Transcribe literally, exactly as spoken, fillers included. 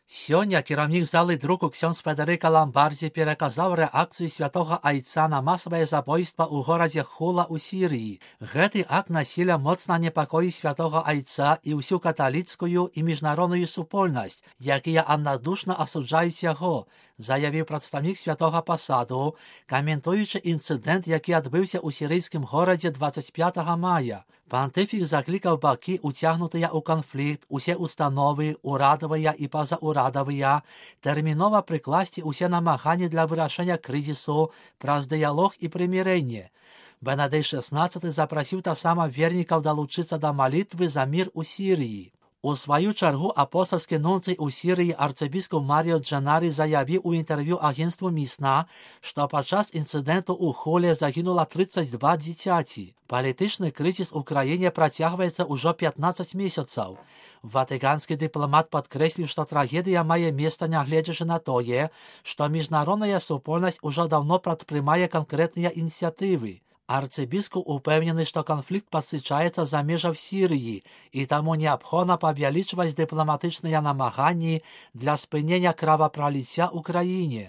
Сёння кіраўнік залы друку ксёндз Федэрыка Ламбардзі пераказаў рэакцыю святога айца на масавае забойства ў горадзе Хула ў Сірыі. Гэты акт насілля моцна непакоіць святога айца і ўсю каталіцкую і міжнародную супольнасць, якія аднадушна асуджаюць яго, заявіў прадстаўнік святога пасаду, каментуючы інцыдэнт, які адбыўся ў сірыйскім горадзе дваццаць пятага мая. Пантыфік заклікаў бакі, уцягнутыя ў канфлікт, усе установы, урадавыя і пазаўрадавыя, тэрмінова прыкласці ўсе намаганні для вырашэння крызісу праз дыялог і прымірэнне. Бенедыкт шэснаццаты запрасіў таксама вернікаў далучыцца да малітвы за мір у Сірыі. У сваю чаргу апостальскі нунцый у Сірыі арцыбіскуп Маріо Джанарі заявіў у інтэрв'ю агенцтву Місна, што падчас інцыдэнту ў Хуле загінула трыццаць два дзіцяці. Палітычны крызіс у краіне працягваецца ўжо пятнаццаць месяцаў. Ватыканскі дыпламат падкрэсліў, што трагедыя мае месца, нягледзячы на тое, што міжнародная супольнасць ужо даўно прадпрымае канкрэтныя ініцыятывы. Арцыбіскуп упэўнены, што канфлікт пасычаецца за межаў Сірыі, і таму неабходна павялічваць дыпламатычныя намаганні для спынення кровапраліцця ў краіне.